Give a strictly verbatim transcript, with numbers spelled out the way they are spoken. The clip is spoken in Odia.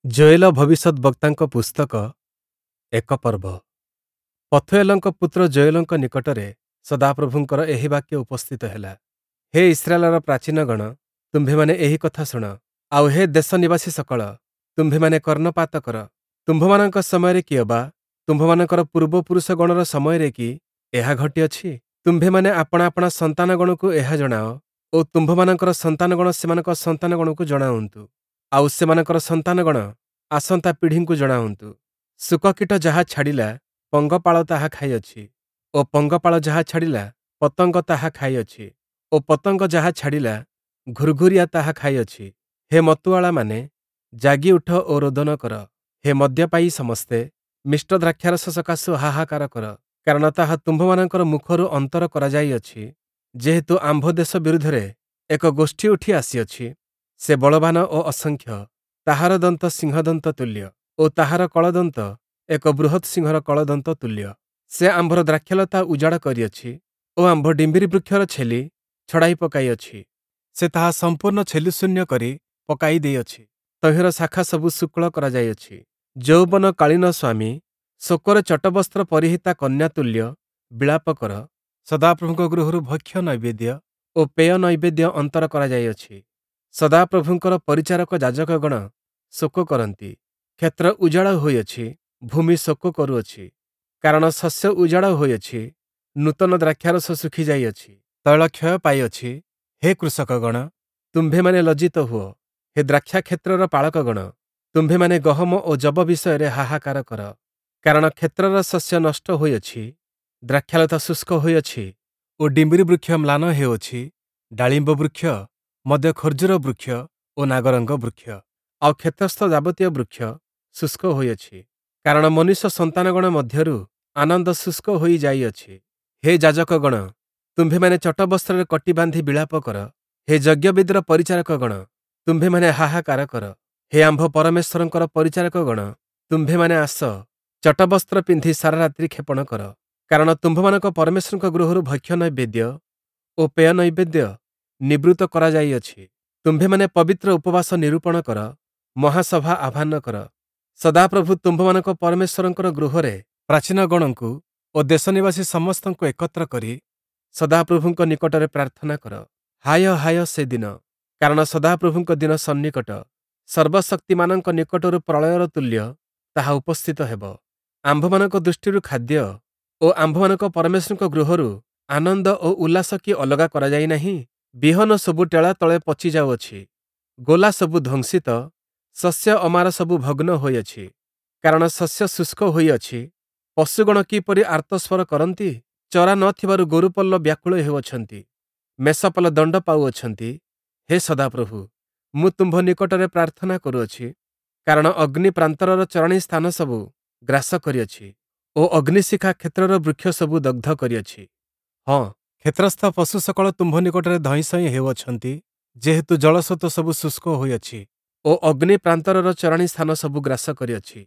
ଯୋୟେଲ ଭବିଷ୍ୟଦ୍‌ବକ୍ତାଙ୍କ ପୁସ୍ତକ ଏକ ପର୍ବ। ପଥୂଏଲଙ୍କ ପୁତ୍ର ଯୋୟେଲଙ୍କ ନିକଟରେ ସଦାପ୍ରଭୁଙ୍କର ଏହି ବାକ୍ୟ ଉପସ୍ଥିତ ହେଲା। ହେ ଇସ୍ରାଏଲର ପ୍ରାଚୀନଗଣ, ତୁମ୍ଭେମାନେ ଏହି କଥା ଶୁଣ, ଆଉ ହେ ଦେଶ ନିବାସୀ ସକଳ, ତୁମ୍ଭେମାନେ କର୍ଣ୍ଣପାତ କର। ତୁମ୍ଭମାନଙ୍କ ସମୟରେ କିଅବା ତୁମ୍ଭମାନଙ୍କର ପୂର୍ବପୁରୁଷଗଣର ସମୟରେ କି ଏହା ଘଟିଅଛି? ତୁମ୍ଭେମାନେ ଆପଣା ଆପଣା ସନ୍ତାନଗଣକୁ ଏହା ଜଣାଅ ଓ ତୁମ୍ଭମାନଙ୍କର ସନ୍ତାନଗଣ ସେମାନଙ୍କ ସନ୍ତାନଗଣକୁ ଜଣାଉନ୍ତୁ, ଆଉ ସେମାନଙ୍କର ସନ୍ତାନଗଣ ଆସନ୍ତା ପିଢ଼ିଙ୍କୁ ଜଣାଉନ୍ତୁ। ଶୁକକୀଟ ଯାହା ଛାଡ଼ିଲା, ପଙ୍ଗପାଳ ତାହା ଖାଇଅଛି ଓ ପଙ୍ଗପାଳ ଯାହା ଛାଡ଼ିଲା, ପତଙ୍ଗ ତାହା ଖାଇଅଛି ଓ ପତଙ୍ଗ ଯାହା ଛାଡ଼ିଲା, ଘୁର୍ଘୁରିଆ ତାହା ଖାଇଅଛି। ହେ ମତୁଆଳାମାନେ, ଜାଗି ଉଠ ଓ ରୋଦନ କର। ହେ ମଦ୍ୟପାୟୀ ସମସ୍ତେ, ମିଷ୍ଟ ଦ୍ରାକ୍ଷାରସ ସକାଶୁ ହାହାକାର କର, କାରଣ ତାହା ତୁମ୍ଭମାନଙ୍କର ମୁଖରୁ ଅନ୍ତର କରାଯାଇଅଛି। ଯେହେତୁ ଆମ୍ଭ ଦେଶ ବିରୁଦ୍ଧରେ ଏକ ଗୋଷ୍ଠୀ ଉଠି ଆସିଅଛି, ସେ ବଳବାନ ଓ ଅସଂଖ୍ୟ, ତାହାର ଦନ୍ତ ସିଂହଦନ୍ତ ତୁଲ୍ୟ ଓ ତାହାର କଳଦନ୍ତ ଏକ ବୃହତ୍ ସିଂହର କଳଦନ୍ତ ତୁଲ୍ୟ। ସେ ଆମ୍ଭର ଦ୍ରାକ୍ଷାଲତା ଉଜାଡ଼ କରିଅଛି ଓ ଆମ୍ଭ ଡିମ୍ବିରି ବୃକ୍ଷର ଛେଲି ଛଡ଼ାଇ ପକାଇଅଛି। ସେ ତାହା ସମ୍ପୂର୍ଣ୍ଣ ଛେଲିଶୂନ୍ୟ କରି ପକାଇ ଦେଇଅଛି, ତହିଁର ଶାଖା ସବୁ ଶୁକ୍ଳ କରାଯାଇଅଛି। ଯୌବନକାଳୀନ ସ୍ୱାମୀ ଶୋକରେ ଚଟବସ୍ତ୍ର ପରିହିତା କନ୍ୟା ତୁଲ୍ୟ ବିଳାପ କର। ସଦାପ୍ରଭୁଙ୍କ ଗୃହରୁ ଭକ୍ଷ୍ୟ ନୈବେଦ୍ୟ ଓ ପେୟ ନୈବେଦ୍ୟ ଅନ୍ତର କରାଯାଇଅଛି। ସଦାପ୍ରଭୁଙ୍କର ପରିଚାରକ ଯାଜକଗଣ ଶୋକ କରନ୍ତି। କ୍ଷେତ୍ର ଉଜାଡ଼ ହୋଇଅଛି, ଭୂମି ଶୋକ କରୁଅଛି, କାରଣ ଶସ୍ୟ ଉଜାଡ଼ ହୋଇଅଛି, ନୂତନ ଦ୍ରାକ୍ଷାରସ ଶୁଖି ଯାଇଅଛି, ତୈଳ କ୍ଷୟ ପାଇଅଛି। ହେ କୃଷକଗଣ, ତୁମ୍ଭେମାନେ ଲଜ୍ଜିତ ହୁଅ। ହେ ଦ୍ରାକ୍ଷାକ୍ଷେତ୍ରର ପାଳକଗଣ, ତୁମ୍ଭେମାନେ ଗହମ ଓ ଯବ ବିଷୟରେ ହାହାକାର କର, କାରଣ କ୍ଷେତ୍ରର ଶସ୍ୟ ନଷ୍ଟ ହୋଇଅଛି, ଦ୍ରାକ୍ଷାଲତା ଶୁଷ୍କ ହୋଇଅଛି ଓ ଡିମ୍ବିରି ବୃକ୍ଷ ମ୍ଳାନ ହେଉଅଛି, ଡାଳିମ୍ବ ବୃକ୍ଷ ମଧ୍ୟ ଖର୍ଜୁର ବୃକ୍ଷ ଓ ନାଗରଙ୍ଗ ବୃକ୍ଷ, ଆଉ କ୍ଷେତ୍ରସ୍ଥ ଯାବତୀୟ ବୃକ୍ଷ ଶୁଷ୍କ ହୋଇଅଛି। କାରଣ ମନୁଷ୍ୟ ସନ୍ତାନଗଣ ମଧ୍ୟରୁ ଆନନ୍ଦ ଶୁଷ୍କ ହୋଇ ଯାଇଅଛି। ହେ ଯାଜକଗଣ, ତୁମ୍ଭେମାନେ ଚଟବସ୍ତ୍ରରେ କଟି ବାନ୍ଧି ବିଳାପ କର। ହେ ଯଜ୍ଞବେଦୀର ପରିଚାରକଗଣ, ତୁମ୍ଭେମାନେ ହାହାକାର କର। ହେ ଆମ୍ଭ ପରମେଶ୍ୱରଙ୍କର ପରିଚାରକଗଣ, ତୁମ୍ଭେମାନେ ଆସ, ଚଟବସ୍ତ୍ର ପିନ୍ଧି ସାରା ରାତ୍ରି କ୍ଷେପଣ କର, କାରଣ ତୁମ୍ଭମାନଙ୍କ ପରମେଶ୍ୱରଙ୍କ ଗୃହରୁ ଭକ୍ଷ୍ୟ ନୈବେଦ୍ୟ ଓ ପେୟ ନୈବେଦ୍ୟ ନିବୃତ୍ତ କରାଯାଇଅଛି। ତୁମ୍ଭେମାନେ ପବିତ୍ର ଉପବାସ ନିରୂପଣ କର, ମହାସଭା ଆହ୍ୱାନ କର। ସଦାପ୍ରଭୁ ତୁମ୍ଭମାନଙ୍କ ପରମେଶ୍ୱରଙ୍କର ଗୃହରେ ପ୍ରାଚୀନଗଣଙ୍କୁ ଓ ଦେଶନିବାସୀ ସମସ୍ତଙ୍କୁ ଏକତ୍ର କରି ସଦାପ୍ରଭୁଙ୍କ ନିକଟରେ ପ୍ରାର୍ଥନା କର। ହାୟ ହାୟ ସେ ଦିନ! କାରଣ ସଦାପ୍ରଭୁଙ୍କ ଦିନ ସନ୍ନିକଟ, ସର୍ବଶକ୍ତିମାନଙ୍କ ନିକଟରୁ ପ୍ରଳୟର ତୁଲ୍ୟ ତାହା ଉପସ୍ଥିତ ହେବ। ଆମ୍ଭମାନଙ୍କ ଦୃଷ୍ଟିରୁ ଖାଦ୍ୟ ଓ ଆମ୍ଭମାନଙ୍କ ପରମେଶ୍ୱରଙ୍କ ଗୃହରୁ ଆନନ୍ଦ ଓ ଉଲ୍ଲାସ କି ଅଲଗା କରାଯାଇ ନାହିଁ? ବିହନ ସବୁ ଟେଳା ତଳେ ପଚି ଯାଉଅଛି, ଗୋଲା ସବୁ ଧ୍ୱଂସିତ, ଶସ୍ୟ ଅମାର ସବୁ ଭଗ୍ନ ହୋଇଅଛି, କାରଣ ଶସ୍ୟ ଶୁଷ୍କ ହୋଇଅଛି। ପଶୁଗଣ କିପରି ଆର୍ତ୍ତସ୍ୱର କରନ୍ତି! ଚରା ନ ଥିବାରୁ ଗୋରୁପଲ ବ୍ୟାକୁଳ ହେଉଅଛନ୍ତି, ମେଷପଲ ଦଣ୍ଡ ପାଉଅଛନ୍ତି। ହେ ସଦାପ୍ରଭୁ, ମୁଁ ତୁମ୍ଭ ନିକଟରେ ପ୍ରାର୍ଥନା କରୁଅଛି, କାରଣ ଅଗ୍ନି ପ୍ରାନ୍ତରର ଚରାଣୀ ସ୍ଥାନ ସବୁ ଗ୍ରାସ କରିଅଛି ଓ ଅଗ୍ନିଶିଖା କ୍ଷେତ୍ରର ବୃକ୍ଷ ସବୁ ଦଗ୍ଧ କରିଅଛି। ହଁ, କ୍ଷେତ୍ରସ୍ଥ ପଶୁ ସକଳ ତୁମ୍ଭ ନିକଟରେ ଧଇଁସଇଁ ହେଉଅଛନ୍ତି, ଯେହେତୁ ଜଳସ୍ରୋତ ସବୁ ଶୁଷ୍କ ହୋଇଅଛି ଓ ଅଗ୍ନି ପ୍ରାନ୍ତରର ଚରାଣୀ ସ୍ଥାନ ସବୁ ଗ୍ରାସ କରିଅଛି।